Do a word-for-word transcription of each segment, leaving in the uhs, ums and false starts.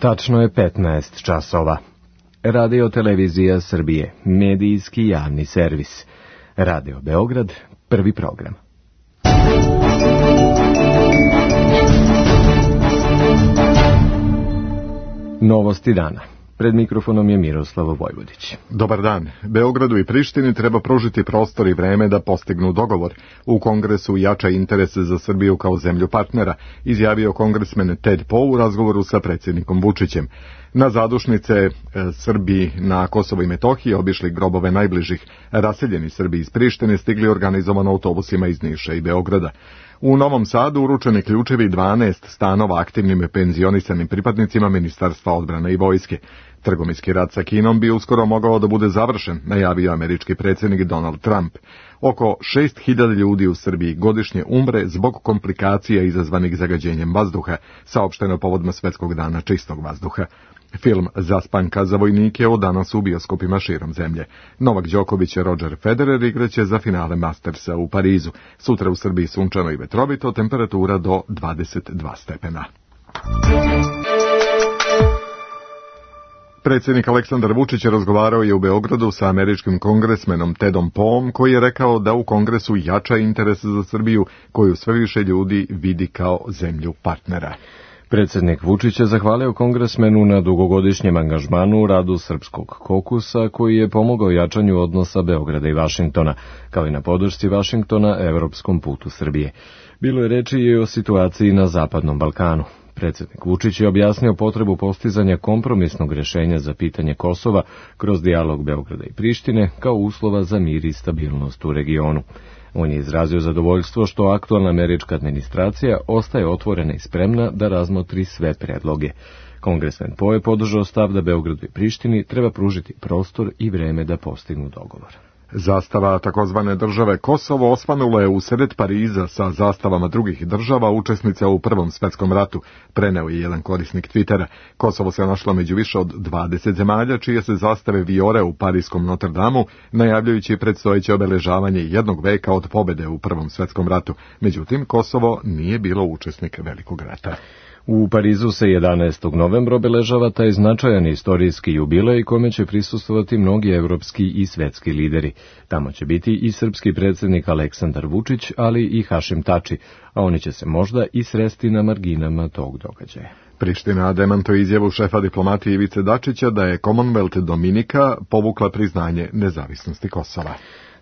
Tačno je petnaest časova. Radio Televizija Srbije, medijski javni servis. Radio Beograd, prvi program. Novosti dana. Pred mikrofonom je Miroslav Vojvodić. Dobar dan. Beogradu i Prištini treba pružiti prostor i vreme da postignu dogovor. U Kongresu jača interese za Srbiju kao zemlju partnera, izjavio kongresmen Ted Poe u razgovoru sa predsjednikom Vučićem. Na zadušnice e, Srbi na Kosovo i Metohiji obišli grobove najbližih. Raseljeni Srbi iz Prištine stigli organizovano autobusima iz Niša i Beograda. U Novom Sadu uručeni ključevi dvanaest stanova aktivnim penzionisanim pripadnicima Ministarstva odbrane i vojske. Trgovinski rat sa Kinom bi uskoro mogao da bude završen, najavio američki predsjednik Donald Trump. Oko šest hiljada ljudi u Srbiji godišnje umre zbog komplikacija izazvanih zagađenjem vazduha, saopšteno povodom Svetskog dana čistog vazduha. Film Zaspanka za vojnike od danas u bioskopima širom zemlje. Novak Đoković i Roger Federer igraće za finale Mastersa u Parizu. Sutra u Srbiji sunčano i vetrovito, temperatura do dvadeset dva stepena. Predsjednik Aleksandar Vučić razgovarao je u Beogradu sa američkim kongresmenom Tedom Poeom, koji je rekao da u Kongresu jača interes za Srbiju, koju sve više ljudi vidi kao zemlju partnera. Predsjednik Vučić je zahvalio kongresmenu na dugogodišnjem angažmanu u radu Srpskog kokusa, koji je pomogao jačanju odnosa Beograda i Vašingtona, kao i na podršci Vašingtona evropskom putu Srbije. Bilo je reči i o situaciji na Zapadnom Balkanu. Predsjednik Vučić je objasnio potrebu postizanja kompromisnog rješenja za pitanje Kosova kroz dijalog Beograda i Prištine kao uslova za mir i stabilnost u regionu. On je izrazio zadovoljstvo što aktualna američka administracija ostaje otvorena i spremna da razmotri sve predloge. Kongresmen Poe podržao stav da Beogradu i Prištini treba pružiti prostor i vreme da postignu dogovor. Zastava takozvane države Kosovo osvanula je usred Pariza sa zastavama drugih država učesnica u Prvom svetskom ratu, preneo je jedan korisnik Twittera. Kosovo se našlo među više od dvadeset zemalja čije se zastave vijore u parijskom Notre Dameu, najavljujući predstojeće obeležavanje jednog veka od pobjede u Prvom svetskom ratu. Međutim, Kosovo nije bilo učesnik Velikog rata. U Parizu se jedanaestog novembra obeležava taj značajan istorijski jubilej kome će prisustvovati mnogi evropski i svetski lideri. Tamo će biti i srpski predsjednik Aleksandar Vučić, ali i Hašim Tači, a oni će se možda i sresti na marginama tog događaja. Priština demantuje izjavu šefa diplomatije Ivice Dačića da je Commonwealth Dominika povukla priznanje nezavisnosti Kosova.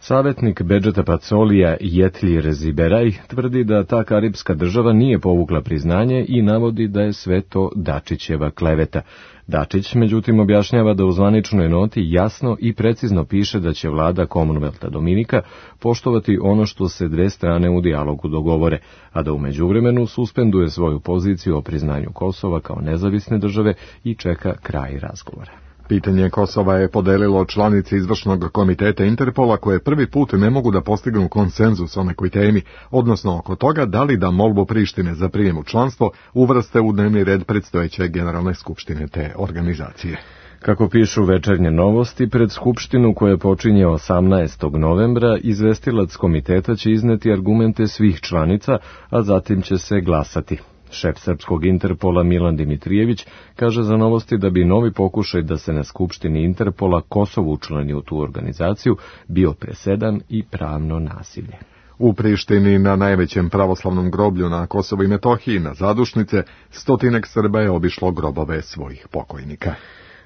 Savjetnik Bedžeta Pacolija Jetljir Ziberaj tvrdi da ta karipska država nije povukla priznanje i navodi da je sve to Dačićeva kleveta. Dačić, međutim, objašnjava da u zvaničnoj noti jasno i precizno piše da će vlada Commonwealtha Dominika poštovati ono što se dve strane u dijalogu dogovore, a da u međuvremenu suspenduje svoju poziciju o priznanju Kosova kao nezavisne države i čeka kraj razgovora. Pitanje Kosova je podelilo članice izvršnog komiteta Interpola koje prvi put ne mogu da postignu konsenzus o nekoj temi, odnosno oko toga da li da molbu Prištine za prijem u članstvo uvrste u dnevni red predstojeće generalne skupštine te organizacije. Kako pišu Večernje novosti, pred skupštinu koja počinje osamnaestog novembra, izvestilac komiteta će izneti argumente svih članica, a zatim će se glasati. Šef srpskog Interpola Milan Dimitrijević kaže za novosti da bi novi pokušaj da se na skupštini Interpola Kosovo učlani u tu organizaciju bio presedan i pravno nasilje. U Prištini na najvećem pravoslavnom groblju na Kosovo i Metohiji na zadušnice stotinak Srba je obišlo grobove svojih pokojnika.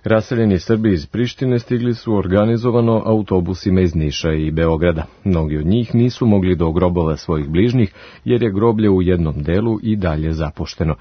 Raseljeni Srbi iz Prištine stigli su organizovano autobusima iz Niša i Beograda. Mnogi od njih nisu mogli do grobova svojih bližnjih, jer je groblje u jednom delu i dalje zapušteno.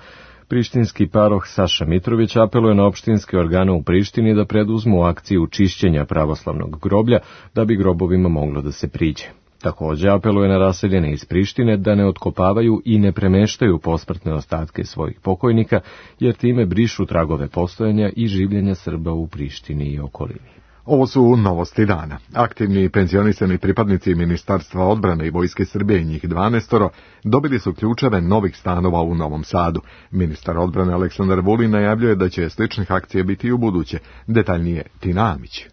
Prištinski paroh Saša Mitrović apeluje na opštinske organe u Prištini da preduzmu akciju čišćenja pravoslavnog groblja da bi grobovima moglo da se priđe. Također apeluje na raseljene iz Prištine da ne otkopavaju i ne premeštaju posmrtne ostatke svojih pokojnika, jer time brišu tragove postojanja i življenja Srba u Prištini i okolini. Ovo su novosti dana. Aktivni penzionisani pripadnici Ministarstva odbrane i vojske Srbije, njih dvanaestoro, dobili su ključeve novih stanova u Novom Sadu. Ministar odbrane Aleksandar Vulin najavljuje da će sličnih akcija biti i u buduće. Detaljnije Tina Amić.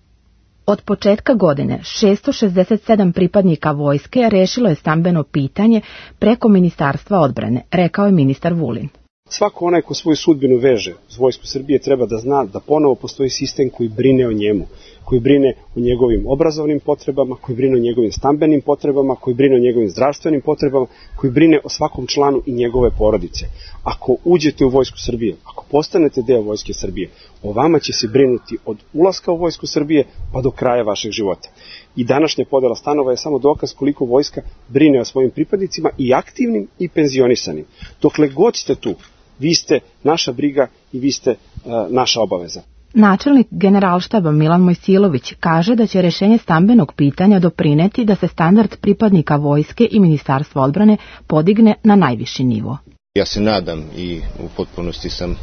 Od početka godine šesto šezdeset sedam pripadnika vojske rešilo je stambeno pitanje preko Ministarstva odbrane, rekao je ministar Vulin. Svako onaj ko svoju sudbinu veže uz Vojsku Srbije treba da zna da ponovo postoji sistem koji brine o njemu, koji brine o njegovim obrazovnim potrebama, koji brine o njegovim stambenim potrebama, koji brine o njegovim zdravstvenim potrebama, koji brine o svakom članu i njegove porodice. Ako uđete u Vojsku Srbije, ako postanete deo Vojske Srbije, o vama će se brinuti od ulaska u Vojsku Srbije pa do kraja vašeg života. I današnja podela stanova je samo dokaz koliko vojska brine o svojim pripadnicima i aktivnim i penzionisanim. Dokle god ste tu, vi ste naša briga i vi ste uh, naša obaveza. Načelnik Generalštaba Milan Mojsilović kaže da će rešenje stambenog pitanja doprineti da se standard pripadnika vojske i Ministarstva odbrane podigne na najviši nivo. Ja se nadam i u potpunosti sam,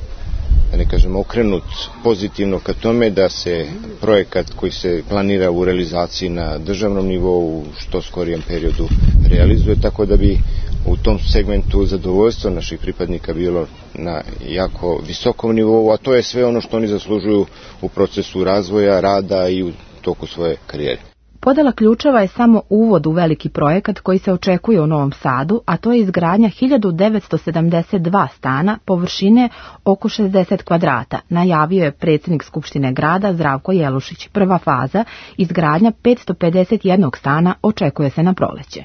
da ne kažem, okrenut pozitivno ka tome da se projekat koji se planira u realizaciji na državnom nivou u što skorijem periodu realizuje, tako da bi u tom segmentu zadovoljstvo naših pripadnika bilo na jako visokom nivou, a to je sve ono što oni zaslužuju u procesu razvoja, rada i u toku svoje karijere. Podela ključeva je samo uvod u veliki projekat koji se očekuje u Novom Sadu, a to je izgradnja hiljadu devetsto sedamdeset dva stana površine oko šezdeset kvadrata, najavio je predsjednik Skupštine grada Zdravko Jelušić. Prva faza, izgradnja petsto pedeset jedan stana, očekuje se na proleće.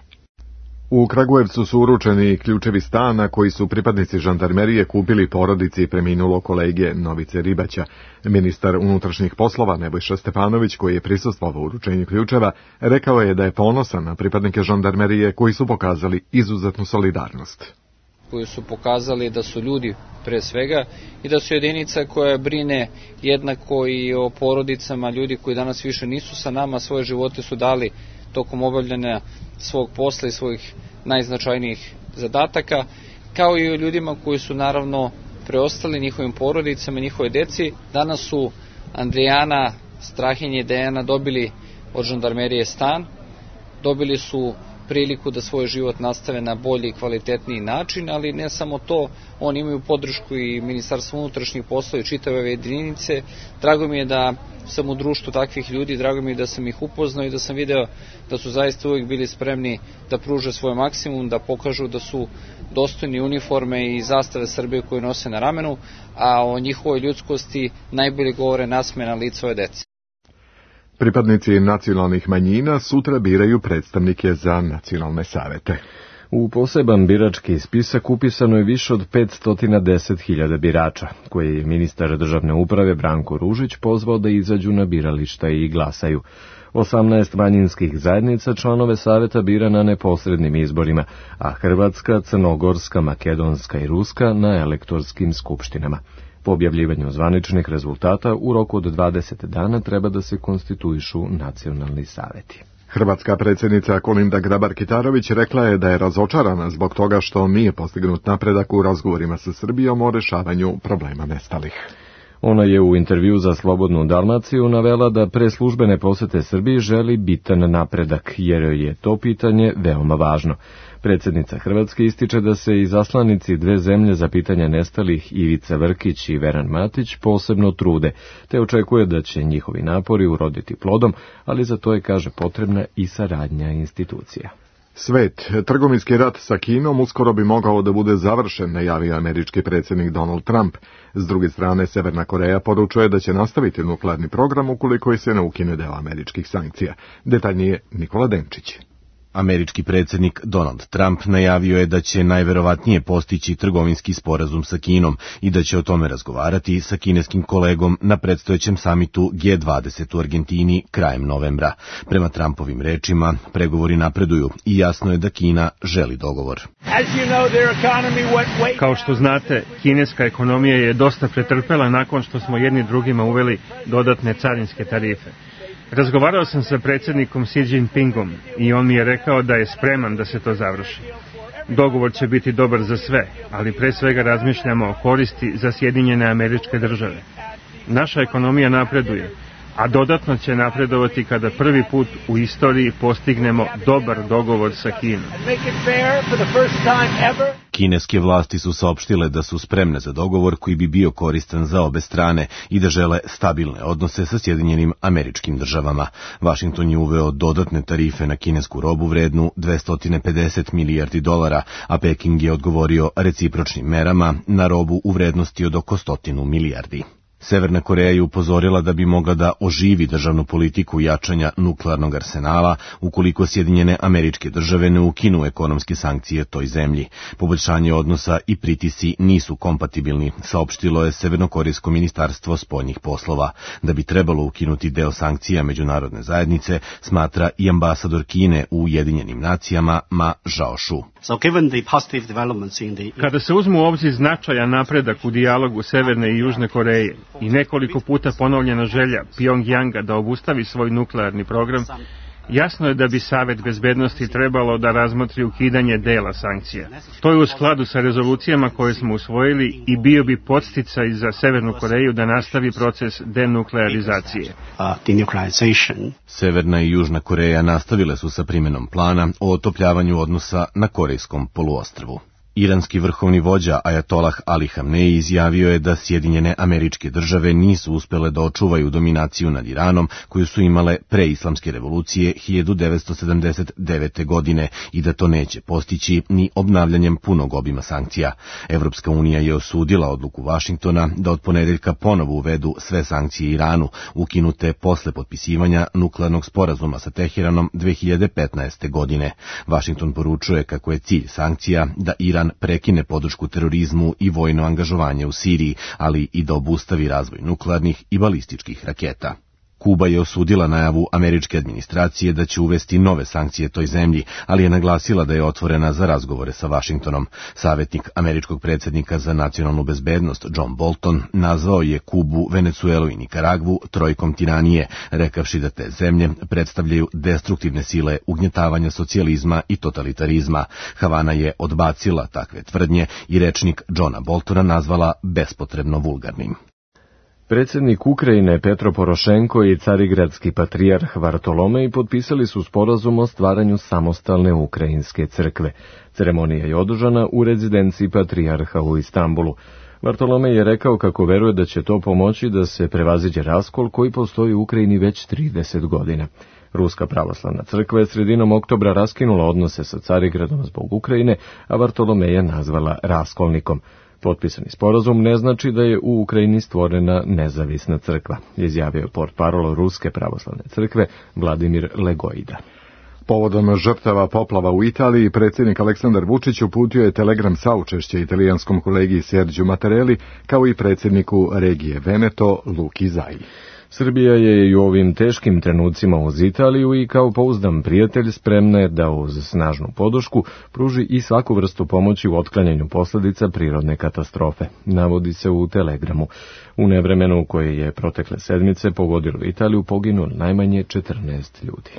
U Kragujevcu su uručeni ključevi stana koji su pripadnici žandarmerije kupili porodici preminulog kolege Novice Ribaća. Ministar unutrašnjih poslova Nebojša Stefanović, koji je prisustvovao uručenju ključeva, rekao je da je ponosan na pripadnike žandarmerije koji su pokazali izuzetnu solidarnost. Koji su pokazali da su ljudi pre svega i da su jedinica koja brine jednako i o porodicama ljudi koji danas više nisu sa nama, svoje živote su dali tokom obavljanja svog posla i svojih najznačajnijih zadataka, kao i o ljudima koji su naravno preostali njihovim porodicama, njihove deci. Danas su Andrijana, Strahinje i Dejana dobili od žandarmerije stan, dobili su priliku da svoj život nastave na bolji i kvalitetniji način, ali ne samo to, oni imaju podršku i Ministarstva unutrašnjih poslova i čitave ove jedinice. Drago mi je da sam u društvu takvih ljudi, drago mi je da sam ih upoznao i da sam video da su zaista uvijek bili spremni da pruže svoj maksimum, da pokažu da su dostojni uniforme i zastave Srbije koje nose na ramenu, a o njihovoj ljudskosti najbolje govore nasmejana lica ove dece. Pripadnici nacionalnih manjina sutra biraju predstavnike za nacionalne savete. U poseban birački spisak upisano je više od petsto deset hiljada birača, koje je ministar državne uprave Branko Ružić pozvao da izađu na birališta i glasaju. osamnaest manjinskih zajednica članove saveta bira na neposrednim izborima, a Hrvatska, Crnogorska, Makedonska i Ruska na elektorskim skupštinama. Po objavljivanju zvaničnih rezultata u roku od dvadeset dana treba da se konstituišu nacionalni saveti. Hrvatska predsjednica Kolinda Grabar-Kitarović rekla je da je razočarana zbog toga što nije postignut napredak u razgovorima sa Srbijom o rešavanju problema nestalih. Ona je u intervju za Slobodnu Dalmaciju navela da pre službene posete Srbiji želi bitan napredak, jer je to pitanje veoma važno. Predsjednica Hrvatske ističe da se izaslanici dve zemlje za pitanje nestalih Ivica Vrkić i Veran Matić posebno trude, te očekuje da će njihovi napori uroditi plodom, ali za to je, kaže, potrebna i saradnja institucija. Svet, trgovinski rat sa Kinom uskoro bi mogao da bude završen, najavio američki predsjednik Donald Trump. S druge strane, Severna Koreja poručuje da će nastaviti nuklearni program ukoliko se ne ukine deo američkih sankcija. Detaljnije Nikola Denčić. Američki predsjednik Donald Trump najavio je da će najverovatnije postići trgovinski sporazum sa Kinom i da će o tome razgovarati sa kineskim kolegom na predstojećem samitu G dvadeset u Argentini krajem novembra. Prema Trumpovim rečima, pregovori napreduju i jasno je da Kina želi dogovor. Kao što znate, kineska ekonomija je dosta pretrpela nakon što smo jedni drugima uveli dodatne carinske tarife. Razgovarao sam sa predsjednikom Xi Jinpingom i on mi je rekao da je spreman da se to završi. Dogovor će biti dobar za sve, ali pre svega razmišljamo o koristi za Sjedinjene Američke Države. Naša ekonomija napreduje, a dodatno će napredovati kada prvi put u istoriji postignemo dobar dogovor sa Kinom. Kineske vlasti su saopštile da su spremne za dogovor koji bi bio koristan za obe strane i da žele stabilne odnose sa Sjedinjenim Američkim Državama. Vašington je uveo dodatne tarife na kinesku robu vrednu dvesta pedeset milijardi dolara, a Peking je odgovorio recipročnim merama na robu u vrednosti od oko stotinu milijardi. Severna Koreja je upozorila da bi mogla da oživi državnu politiku jačanja nuklearnog arsenala ukoliko Sjedinjene Američke Države ne ukinu ekonomske sankcije toj zemlji. Poboljšanje odnosa i pritisci nisu kompatibilni, saopštilo je Severnokorejsko ministarstvo spoljnih poslova. Da bi trebalo ukinuti deo sankcija međunarodne zajednice, smatra i ambasador Kine u Ujedinjenim nacijama Ma Zhaoshu. Kada se uzmu u obzir značajan napredak u dijalogu Severne i Južne Koreje i nekoliko puta ponovljena želja Pjongjanga da obustavi svoj nuklearni program, jasno je da bi Savet bezbednosti trebalo da razmotri ukidanje dela sankcija. To je u skladu sa rezolucijama koje smo usvojili i bio bi podsticaj za Severnu Koreju da nastavi proces denuklearizacije. Severna i Južna Koreja nastavile su sa primjenom plana o otopljavanju odnosa na Korejskom poluostrvu. Iranski vrhovni vođa Ajatolah Ali Hamneji izjavio je da Sjedinjene Američke Države nisu uspele da očuvaju dominaciju nad Iranom koju su imale pre islamske revolucije hiljadu devetsto sedamdeset devete. godine i da to neće postići ni obnavljanjem punog obima sankcija. Evropska unija je osudila odluku Vašingtona da od ponedeljka ponovo uvedu sve sankcije Iranu, ukinute posle potpisivanja nuklearnog sporazuma sa Teheranom dve hiljade petnaeste. godine. Vašington poručuje kako je cilj sankcija da Iran prekine podršku terorizmu i vojno angažovanje u Siriji, ali i da obustavi razvoj nuklearnih i balističkih raketa. Kuba je osudila najavu američke administracije da će uvesti nove sankcije toj zemlji, ali je naglasila da je otvorena za razgovore sa Vašingtonom. Savjetnik američkog predsjednika za nacionalnu bezbednost John Bolton nazvao je Kubu, Venecuelu i Nikaragvu trojkom tiranije, rekavši da te zemlje predstavljaju destruktivne sile ugnjetavanja socijalizma i totalitarizma. Havana je odbacila takve tvrdnje i rečnik Johna Boltona nazvala bespotrebno vulgarnim. Predsjednik Ukrajine Petro Porošenko i carigradski patrijarh Vartolomej potpisali su sporazum o stvaranju samostalne ukrajinske crkve. Ceremonija je održana u rezidenciji patrijarha u Istanbulu. Vartolomej je rekao kako veruje da će to pomoći da se prevaziđe raskol koji postoji u Ukrajini već trideset godina. Ruska pravoslavna crkva je sredinom oktobra raskinula odnose sa Carigradom zbog Ukrajine, a Vartolomeja nazvala raskolnikom. Potpisani sporazum ne znači da je u Ukrajini stvorena nezavisna crkva, izjavio je portparol Ruske pravoslavne crkve Vladimir Legojda. Povodom žrtava poplava u Italiji, predsjednik Aleksandar Vučić uputio je telegram saučešća italijanskom kolegi Sergiju Mattarelli, kao i predsjedniku regije Veneto Luki Zaji. Srbija je i u ovim teškim trenucima uz Italiju i kao pouzdan prijatelj spremna je da uz snažnu podršku pruži i svaku vrstu pomoći u otklanjanju posljedica prirodne katastrofe, navodi se u telegramu. U nevremenu koje je protekle sedmice pogodilo Italiju poginulo najmanje četrnaest ljudi.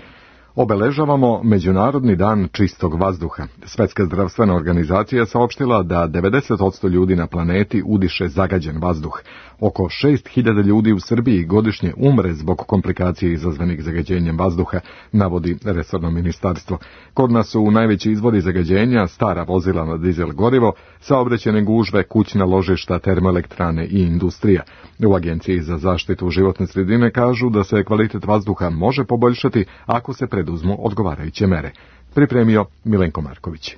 Obeležavamo Međunarodni dan čistog vazduha. Svetska zdravstvena organizacija saopštila da devedeset posto ljudi na planeti udiše zagađen vazduh. Oko šest hiljada ljudi u Srbiji godišnje umre zbog komplikacije izazvanih zagađenjem vazduha, navodi resorno ministarstvo. Kod nas su najveći izvori zagađenja stara vozila na dizel gorivo, saobraćajne gužve, kućna ložišta, termoelektrane i industrija. U Agenciji za zaštitu životne sredine kažu da se kvalitet vazduha može poboljšati ako se preduzmu odgovarajuće mere. Pripremio Milenko Marković.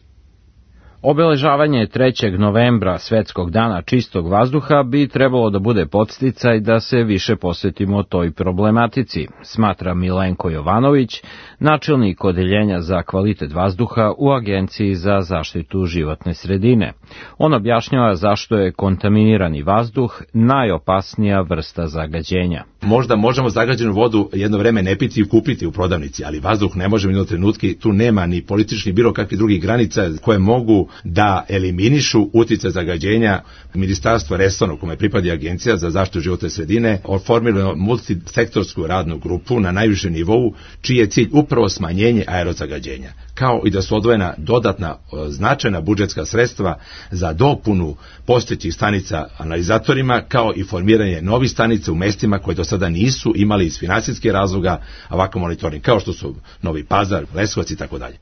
Obeležavanje trećeg novembra Svetskog dana čistog vazduha bi trebalo da bude podsticaj da se više posvetimo toj problematici, smatra Milenko Jovanović, načelnik odeljenja za kvalitet vazduha u Agenciji za zaštitu životne sredine. On objašnjava zašto je kontaminirani vazduh najopasnija vrsta zagađenja. Možda možemo zagađenu vodu jedno vreme ne piti i kupiti u prodavnici, ali vazduh ne možemo jedno trenutki, tu nema ni politični bilo kakvih drugih granica koje mogu da eliminišu utjecaj zagađenja. Ministarstvo resorno kome pripada Agencija za zaštitu životne sredine oformilo multisektorsku radnu grupu na najvišem nivou, čiji je cilj upravo smanjenje aerozagađenja, kao i da su odvojena dodatna značajna budžetska sredstva za dopunu postojećih stanica analizatorima, kao i formiranje novih stanica u mestima koje do sada nisu imali iz finansijskih razloga ovakav monitoring, kao što su Novi Pazar, Leskovac i tako dalje.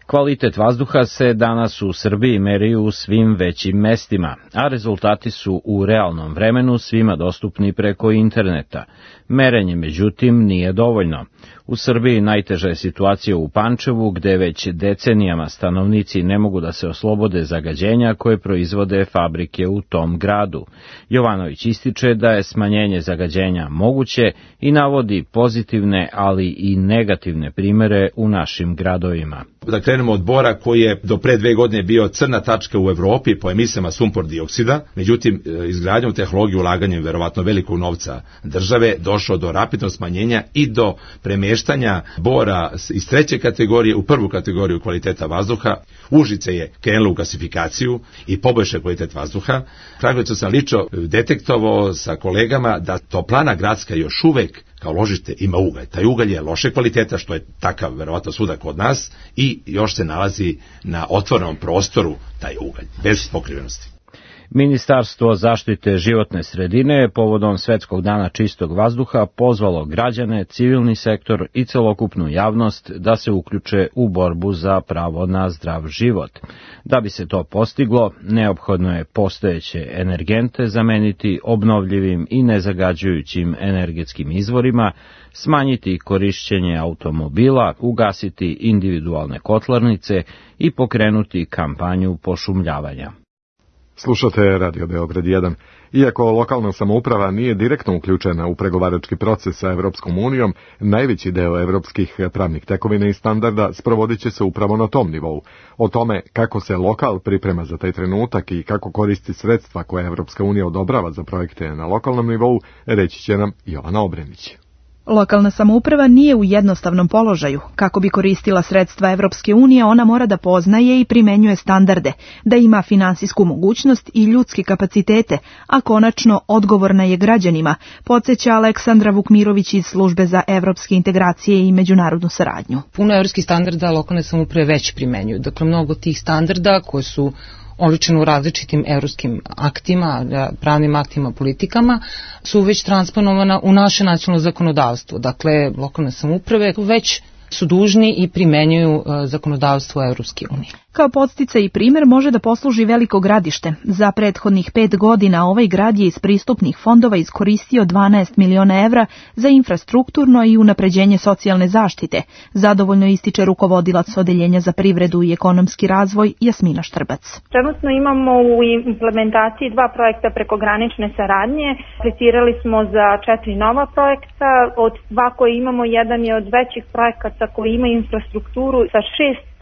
Kvalitet vazduha se danas u Srbiji meri u svim većim mestima, a rezultati su u realnom vremenu svima dostupni preko interneta. Merenje, međutim, nije dovoljno. U Srbiji najteža je situacija u Pančevu, gde već decenijama stanovnici ne mogu da se oslobode zagađenja koje proizvode fabrike u tom gradu. Jovanović ističe da je smanjenje zagađenja moguće i navodi pozitivne, ali i negativne primere u našim gradovima. Da krenemo od Bora, koji je do pre dve godine bio crna tačka u Evropi po emisijama sumpor dioksida, međutim izgradnjom tehnologije, ulaganjem verovatno velikog novca države, došlo do rapidnog smanjenja i do premeštanja Bora iz treće kategorije u prvu kategoriju kvaliteta vazduha. Užice je krenulo u gasifikaciju i poboljša kvalitet vazduha. Kragujevcu sam lično detektovao sa kolegama da toplana gradska još uvek kao ložište ima ugalj. Taj ugalj je loše kvaliteta, što je takav verovatno svuda kod nas, i još se nalazi na otvorenom prostoru taj ugalj, bez pokrivenosti. Ministarstvo zaštite životne sredine je povodom Svetskog dana čistog vazduha pozvalo građane, civilni sektor i celokupnu javnost da se uključe u borbu za pravo na zdrav život. Da bi se to postiglo, neophodno je postojeće energente zameniti obnovljivim i nezagađujućim energetskim izvorima, smanjiti korišćenje automobila, ugasiti individualne kotlarnice i pokrenuti kampanju pošumljavanja. Slušate Radio Beograd jedan. Iako lokalna samouprava nije direktno uključena u pregovarački proces sa Evropskom unijom, najveći deo evropskih pravnih tekovina i standarda sprovodit će se upravo na tom nivou. O tome kako se lokal priprema za taj trenutak i kako koristi sredstva koje Evropska unija odobrava za projekte na lokalnom nivou, reći će nam Jovana Obrenić. Lokalna samouprava nije u jednostavnom položaju. Kako bi koristila sredstva Evropske unije, ona mora da poznaje i primenjuje standarde, da ima finansijsku mogućnost i ljudske kapacitete, a konačno odgovorna je građanima, podsjeća Aleksandra Vukmirović iz Službe za evropske integracije i međunarodnu saradnju. Puno evropskih standarda lokalne samouprave već primenjuju. Dakle, mnogo tih standarda koji su oličeno u različitim evropskim aktima, pravnim aktima, politikama, su već transponovana u naše nacionalno zakonodavstvo. Dakle, lokalne samouprave već su dužni i primenjuju zakonodavstvo Evropske unije. Kao podsticaj i primjer može da posluži Veliko Gradište. Za prethodnih pet godina ovaj grad je iz pristupnih fondova iskoristio dvanaest miliona evra za infrastrukturno i unapređenje socijalne zaštite. Zadovoljno ističe rukovodilac Odeljenja za privredu i ekonomski razvoj Jasmina Štrbac. Trenutno imamo u implementaciji dva projekta prekogranične saradnje. Aplicirali smo za četiri nova projekta. Od dva koje imamo, jedan je od većih projekata koji ima infrastrukturu sa šest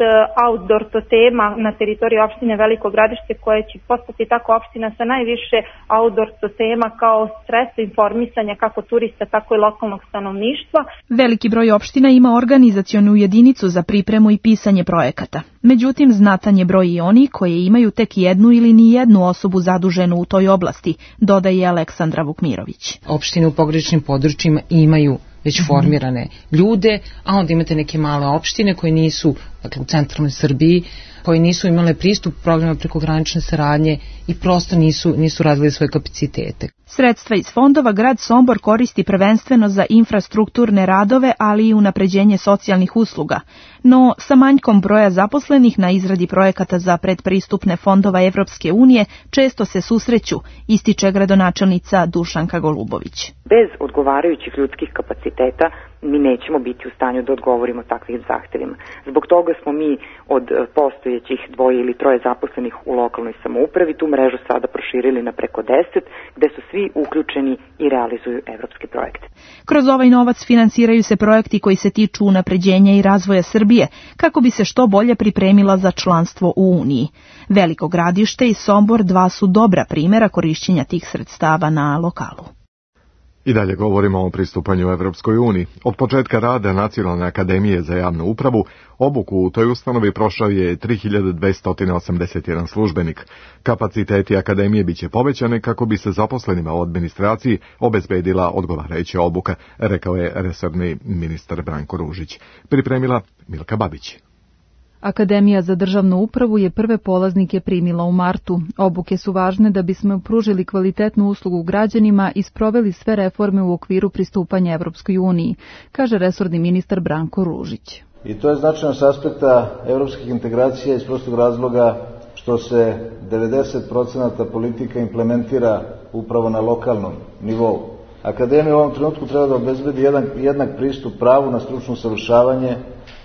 outdoor totema na teritoriji opštine Veliko Gradište, koje će postati tako opština sa najviše outdoor totema kao sredstvo informisanja kako turista, tako i lokalnog stanovništva. Veliki broj opština ima organizacionu jedinicu za pripremu i pisanje projekata. Međutim, znatan je broj i oni koje imaju tek jednu ili ni jednu osobu zaduženu u toj oblasti, dodaje Aleksandra Vukmirović. Opštine u pograničnim područjima imaju već formirane ljude, a onda imate neke male opštine koje nisu, dakle u centralnoj Srbiji, koji nisu imale pristup programa prekogranične saradnje i prosto nisu, nisu radili svoje kapacitete. Sredstva iz fondova grad Sombor koristi prvenstveno za infrastrukturne radove, ali i unapređenje socijalnih usluga. No, sa manjkom broja zaposlenih na izradi projekata za predpristupne fondova Evropske unije često se susreću, ističe gradonačelnica Dušanka Golubović. Bez odgovarajućih ljudskih kapaciteta mi nećemo biti u stanju da odgovorimo takvim zahtevima. Zbog toga smo mi od postojećih dvoje ili troje zaposlenih u lokalnoj samoupravi tu mrežu sada proširili na preko deset, gde su svi uključeni i realizuju evropske projekte. Kroz ovaj novac finansiraju se projekti koji se tiču unapređenja i razvoja Srbije, kako bi se što bolje pripremila za članstvo u Uniji. Veliko Gradište i Sombor dva su dobra primjera korišćenja tih sredstava na lokalu. I dalje govorimo o pristupanju Evropskoj uniji. Od početka rada Nacionalne akademije za javnu upravu, obuku u toj ustanovi prošao je tri hiljade dvesta osamdeset jedan službenik. Kapaciteti akademije biće povećane kako bi se zaposlenima u administraciji obezbedila odgovarajuća obuka, rekao je resorni ministar Branko Ružić. Pripremila Milka Babić. Akademija za državnu upravu je prve polaznike primila u martu. Obuke su važne da bismo pružili kvalitetnu uslugu građanima i sproveli sve reforme u okviru pristupanja Evropskoj uniji, kaže resorni ministar Branko Ružić. I to je značajno s aspekta evropskih integracija iz prostog razloga što se devedeset procenata politika implementira upravo na lokalnom nivou. Akademija u ovom trenutku treba da obezbedi jedan, jednak pristup pravu na stručno usavršavanje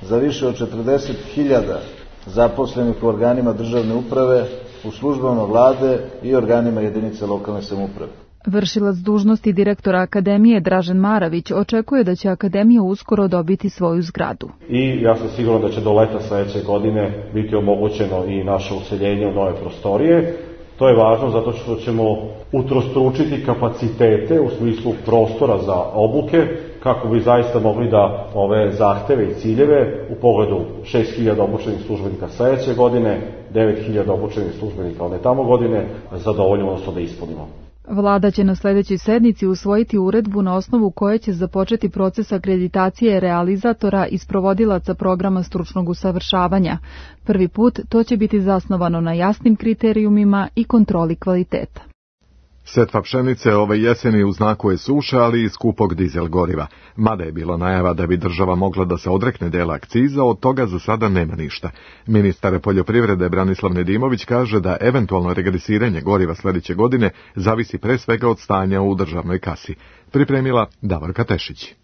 za više od četrdeset hiljada zaposlenih u organima državne uprave, u službama vlade i organima jedinice lokalne samouprave. Vršilac dužnosti direktora Akademije Dražen Maravić očekuje da će Akademija uskoro dobiti svoju zgradu. I ja sam siguran da će do leta sledeće godine biti omogućeno i naše useljenje u nove prostorije. To je važno zato što ćemo utrostručiti kapacitete u smislu prostora za obuke, kako bi zaista mogli da ove zahteve i ciljeve u pogledu šest hiljada obučenih službenika sledeće godine, devet hiljada obučenih službenika one tamo godine, zadovoljimo, odnosno da ispunimo. Vlada će na sledećoj sednici usvojiti uredbu na osnovu koje će započeti proces akreditacije realizatora i sprovodilaca programa stručnog usavršavanja. Prvi put to će biti zasnovano na jasnim kriterijumima i kontroli kvaliteta. Setva pšenice ove jeseni u znaku je suša, ali i skupog dizel goriva. Mada je bilo najava da bi država mogla da se odrekne dela akciza, od toga za sada nema ništa. Ministar poljoprivrede Branislav Nedimović kaže da eventualno regresiranje goriva sledeće godine zavisi pre svega od stanja u državnoj kasi. Pripremila Davorka Tešić.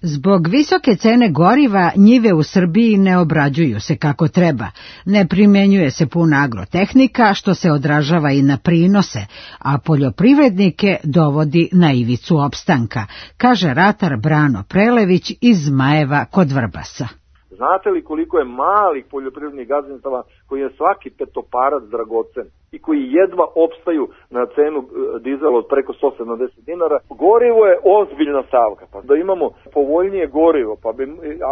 Zbog visoke cene goriva njive u Srbiji ne obrađuju se kako treba. Ne primenjuje se puna agrotehnika, što se odražava i na prinose, a poljoprivrednike dovodi na ivicu opstanka, kaže ratar Brano Prelević iz Zmajeva kod Vrbasa. Znate li koliko je malih poljoprivrednih gazdinstava koji je svaki petoparac dragocen i koji jedva opstaju na cenu dizela od preko sto sedamdeset dinara? Gorivo je ozbiljna stavka, pa da imamo povoljnije gorivo, pa bi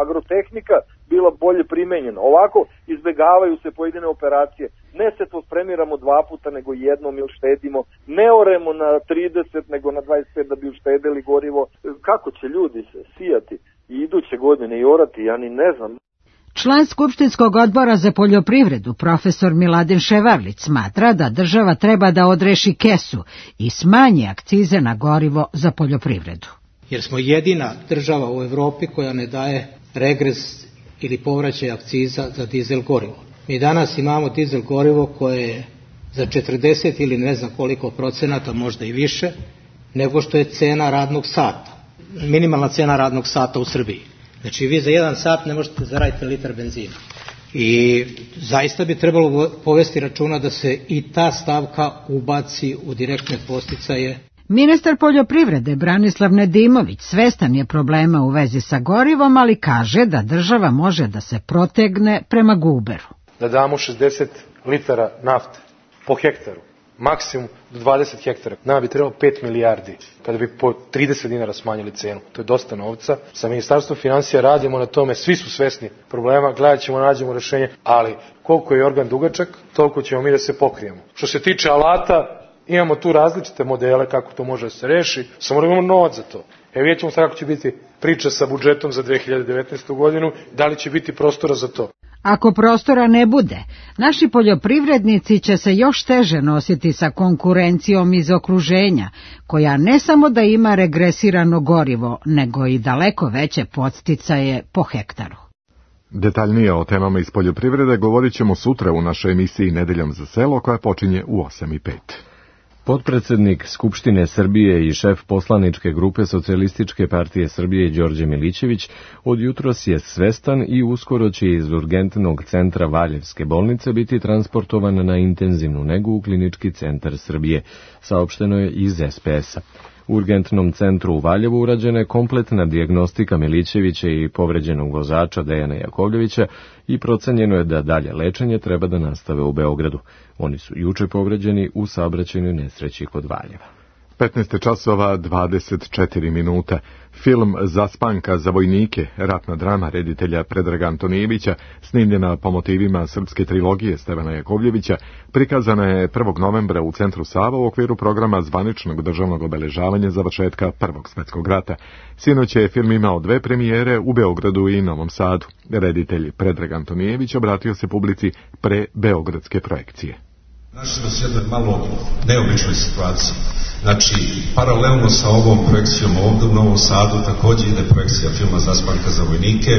agrotehnika bila bolje primenjena. Ovako izbegavaju se pojedine operacije. Ne se to spremiramo dva puta, nego jednom ili štedimo. Ne oremo na trideset, nego na dvadeset pet da bi uštedeli gorivo. Kako će ljudi se sijati i iduće godine i orati, ja ni ne znam. Član Skupštinskog odbora za poljoprivredu, profesor Miladin Ševarlić, smatra da država treba da odreši kesu i smanji akcize na gorivo za poljoprivredu. Jer smo jedina država u Evropi koja ne daje regres ili povraćaj akciza za dizel gorivo. Mi danas imamo dizel gorivo koje je za četrdeset ili ne znam koliko procenata, možda i više, nego što je cena radnog sata. Minimalna cena radnog sata u Srbiji. Znači vi za jedan sat ne možete zaraditi litar benzina. I zaista bi trebalo povesti računa da se i ta stavka ubaci u direktne podsticaje. Ministar poljoprivrede Branislav Nedimović svestan je problema u vezi sa gorivom, ali kaže da država može da se protegne prema guberu. Da damo šezdeset litara nafte po hektaru, maksimum do dvadeset hektara. Nama bi trebalo pet milijardi kada bi po trideset dinara smanjili cenu. To je dosta novca. Sa Ministarstvom finansija radimo na tome, svi su svesni problema, gledat ćemo, nađemo rešenje, ali koliko je organ dugačak, toliko ćemo mi da se pokrijemo. Što se tiče alata, imamo tu različite modele kako to može da se reši, samo da imamo novac za to. E vidjet ćemo kako će biti priča sa budžetom za dve hiljade devetnaestu. godinu, da li će biti prostora za to. Ako prostora ne bude, naši poljoprivrednici će se još teže nositi sa konkurencijom iz okruženja, koja ne samo da ima regresirano gorivo, nego i daleko veće podsticaje po hektaru. Detaljnije o temama iz poljoprivrede govorit ćemo sutra u našoj emisiji Nedeljom za selo, koja počinje u osam i pet. Potpredsednik Skupštine Srbije i šef poslaničke grupe Socijalističke partije Srbije Đorđe Milićević od jutros je svestan i uskoro će iz urgentnog centra Valjevske bolnice biti transportovan na intenzivnu negu u Klinički centar Srbije, saopšteno je iz es pe es-a. U urgentnom centru u Valjevu urađena je kompletna dijagnostika Milićevića i povređenog vozača Dejana Jakovljevića i procenjeno je da dalje lečenje treba da nastave u Beogradu. Oni su juče povređeni u saobraćajnoj nesreći kod Valjeva. petnaest časova dvadeset četiri minuta. Film Zaspanka za vojnike, ratna drama reditelja Predraga Antonijevića, snimljena po motivima srpske trilogije Stevana Jakovljevića, prikazana je prvog novembra u Centru Sava u okviru programa zvaničnog državnog obeležavanja završetka Prvog svjetskog rata. Sinoć je film imao dve premijere u Beogradu i Novom Sadu. Reditelj Predrag Antonijević obratio se publici pre beogradske projekcije. Našli smo se jednoj malo neobičnoj situaciji. Znači, paralelno sa ovom projekcijom ovdje u Novom Sadu također ide projekcija filma Zaspanka za vojnike.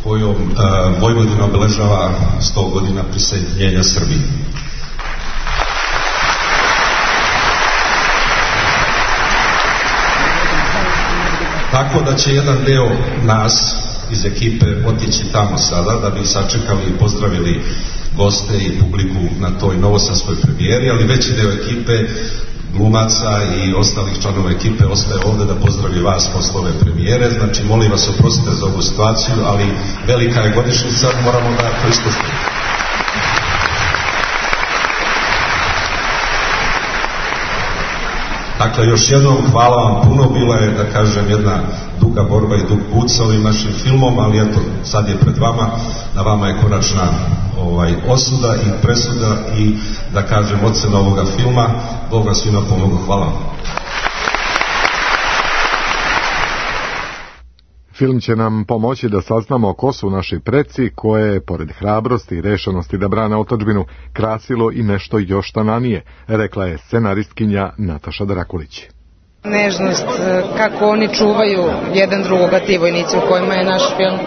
kojom uh, Vojvodina obeležava sto godina prisajedinjenja Srbije. Tako da će jedan deo nas iz ekipe otići tamo sada da bi sačekali i pozdravili goste i publiku na toj novosadskoj premijeri, ali veći deo ekipe, glumaca i ostalih članova ekipe ostaje ovde da pozdravi vas posle ove premijere. Znači, molim vas, oprostite za ovu situaciju, ali velika je godišnjica, moramo da to ispustimo. Dakle, još jednom hvala vam puno, bila je, da kažem, jedna duga borba i dug put sa ovim našim filmom, ali eto, sad je pred vama, na vama je konačna ovaj, osuda i presuda i, da kažem, ocena ovoga filma. Bog vam svima pomogu, hvala vam. Film će nam pomoći da saznamo ko su naši preci, koje je, pored hrabrosti i rešenosti da brane otadžbinu, krasilo i nešto još tananije, rekla je scenaristkinja Nataša Drakulić. Nežnost, kako oni čuvaju jedan drugoga, ti vojnici u kojima je naš film,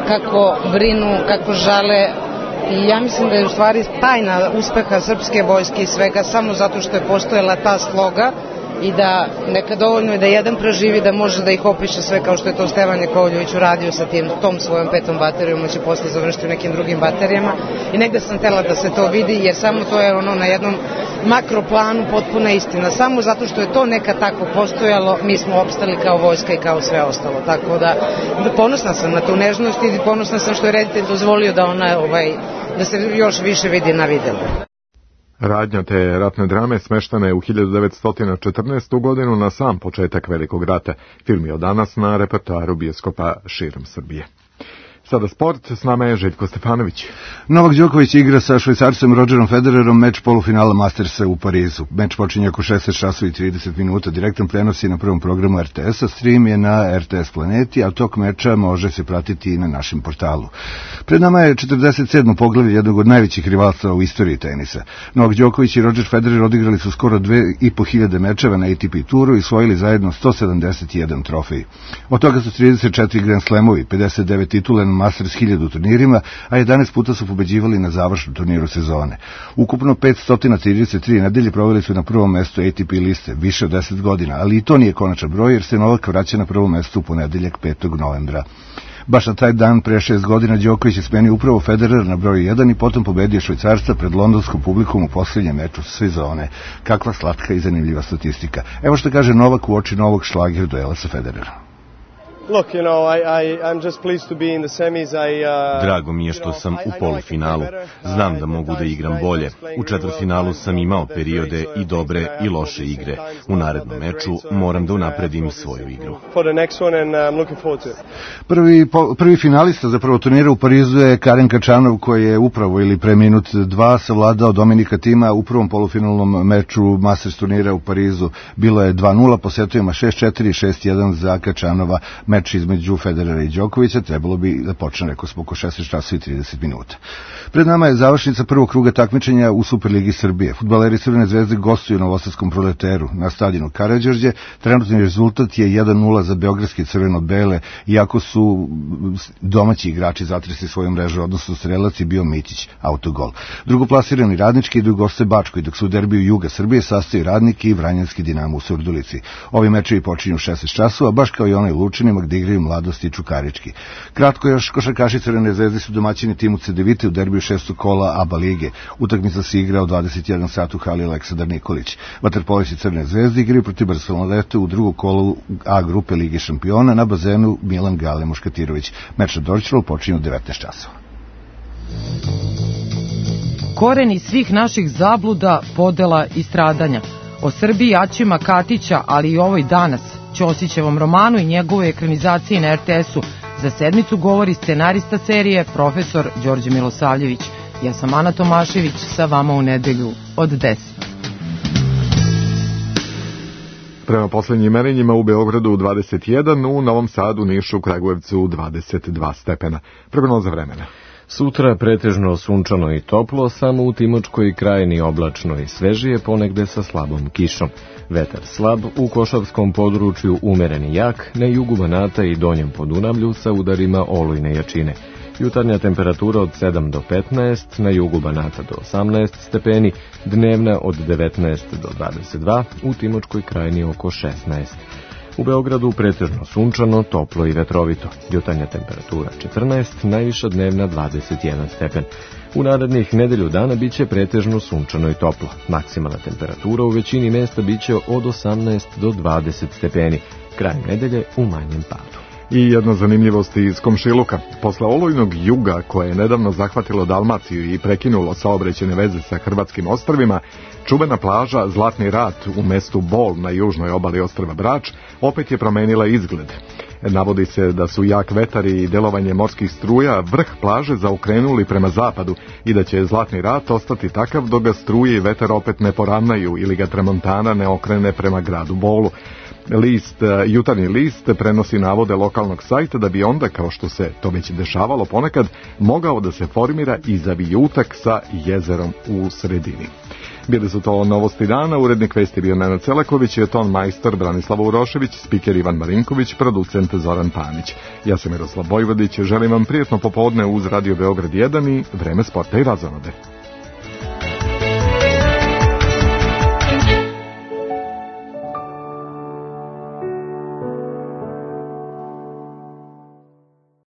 kako brinu, kako žale. I ja mislim da je u stvari tajna uspeha srpske vojske i svega samo zato što je postojala ta sloga i da neka dovoljno je da jedan preživi da može da ih opiše sve kao što je to Stevan Jakovljević uradio sa tim, tom svojom petom baterijom, on će posle završiti u nekim drugim baterijama i negde sam tela da se to vidi jer samo to je ono na jednom makroplanu potpuna istina. Samo zato što je to nekad tako postojalo, mi smo opstali kao vojska i kao sve ostalo. Tako da, ponosna sam na tu nežnost i ponosna sam što je reditelj dozvolio da ona, ovaj, da se još više vidi na videlu. Radnja te ratne drame smeštana je u hiljadu devetsto četrnaestu. godinu na sam početak Velikog rata. Film je od danas na repertoaru bioskopa širom Srbije. Sada sport, s nama je Željko Stefanović. Novak Đoković igra sa švajcarcem Rogerom Federerom meč polufinala Mastersa u Parizu. Meč počinje oko šesnaest časova i trideset minuta. Direktan prenos je na prvom programu er te es-a, stream je na er te es Planeti, a tok meča može se pratiti i na našem portalu. Pred nama je četrdeset sedmo poglavlje jednog od najvećih rivalstva u istoriji tenisa. Novak Đoković i Roger Federer odigrali su skoro dve i po hiljade mečeva na A T P turu i osvojili zajedno sto sedamdeset jedan trofej. Od toga su trideset četiri Grand Slamovi, pedeset devet titule na Masters hiljadu turnirima, a jedanaest puta su pobeđivali na završnom turniru sezone. Ukupno petsto trideset tri nedelje proveli su na prvom mestu A T P liste, više od deset godina, ali i to nije konačan broj jer se Novak vraća na prvo mesto u ponedeljak petog novembra. Baš na taj dan pre šest godina Đoković je smenio upravo Federer na broju jedan i potom pobedio Švajcarca pred londonskom publikom u posljednjem meču sezone. Kakva slatka i zanimljiva statistika. Evo što kaže Novak u oči novog šlager duela sa Federerom. Look, you know, I, I, I'm just pleased to be in the semis. I, uh, Drago mi je što sam u polufinalu. Znam da mogu da igram bolje. U četvrtfinalu sam imao periode i dobre i loše igre. U narednom meču moram da unapredim svoju igru. Prvi, po, prvi finalista za prvo turnira u Parizu je Karen Kačanov koji je upravo ili pre minut dva savladao Dominika Tima u prvom polufinalnom meču Masters turnira u Parizu. Bilo je dva nula, po setovima šest četiri i šest jedan za Kačanova. Meč između Federera i Đokovića trebalo bi da počne, rekao smo, oko šesnaest časova i trideset minuta. Pred nama je završnica prvog kruga takmičenja u Superligi Srbije. Fudbaleri Crvene zvezde gostuju na Novosadskom Proleteru na stadionu Karađorđe. Trenutni rezultat je jedan nula za beogradske crveno-bele, iako su domaći igrači zatresli svoju mrežu, odnosno strelac je bio Mitić, autogol. Drugoplasirani Radnički idu goste Bačkoj, dok su u derbiju Juga Srbije sastaju Radniki i Vranjanski Dinamo u Surdulici. Ovi mečevi počinju u šesnaest časova, baš kao i onaj u Lučanima gde igraju Mladost i Čukarički. Kratko još, košarkaši Crvene zvezde su domaćini timu Cedevite u derbiju šestog kola A B A lige. Utakmica se igra u dvadeset jedan sat u hali Aleksandar Nikolić. Vaterpolisti Crvene zvezde igraju protiv Barcelonete u drugom kolu A grupe Lige šampiona na bazenu Milan Gale Muškatirović. Meč na Dorćolu počinje u devetnaest časova. Koreni svih naših zabluda, podela i stradanja. O Srbiji Aćima Katića, ali i ovoj danas, Ćosićevom romanu i njegove ekranizacije na er te es-u, za sedmicu govori scenarista serije profesor Đorđe Milosavljević. Ja sam Ana Tomašević, sa vama u nedelju od deset. Prema poslednjim merenjima u Beogradu dvadeset jedan, u Novom Sadu, Nišu, Kragujevcu dvadeset dva stepena. Prognoza vremena. Sutra pretežno sunčano i toplo, samo u Timočkoj krajini oblačno i svežije, ponegde sa slabom kišom. Vetar slab, u Košavskom području umeren i jak, na jugu Banata i Donjem Podunavlju sa udarima olujne jačine. Jutarnja temperatura od sedam do petnaest, na jugu Banata do osamnaest stepeni, dnevna od devetnaest do dvadeset dva, u Timočkoj krajini oko šesnaest. U Beogradu pretežno sunčano, toplo i vetrovito. Jutarnja temperatura četrnaest, najviša dnevna dvadeset jedan stepen. U narednih nedelju dana biće pretežno sunčano i toplo. Maksimalna temperatura u većini mesta biće od osamnaest do dvadeset stepeni. Krajem nedelje u manjem padu. I jedna zanimljivost iz komšiluka. Posle olujnog juga koje je nedavno zahvatilo Dalmaciju i prekinulo saobraćajne veze sa hrvatskim ostrvima, čuvena plaža Zlatni rat u mestu Bol na južnoj obali ostrva Brač opet je promenila izgled. Navodi se da su jak vetar i delovanje morskih struja vrh plaže zaokrenuli prema zapadu i da će Zlatni rat ostati takav dok ga struje i vetar opet ne poravnaju ili ga tramontana ne okrene prema gradu Bolu. List, jutarnji list prenosi navode lokalnog sajta da bi onda, kao što se to već dešavalo ponekad, mogao da se formira i zavijutak sa jezerom u sredini. Bili su to novosti dana, urednik vesti bio Nenad Celaković, je ton majstor Branislav Urošević, spiker Ivan Marinković, producent Zoran Panić. Ja sam Miroslav Vojvodić, želim vam prijetno popodne uz Radio Beograd jedan i Vreme sporta i razonode.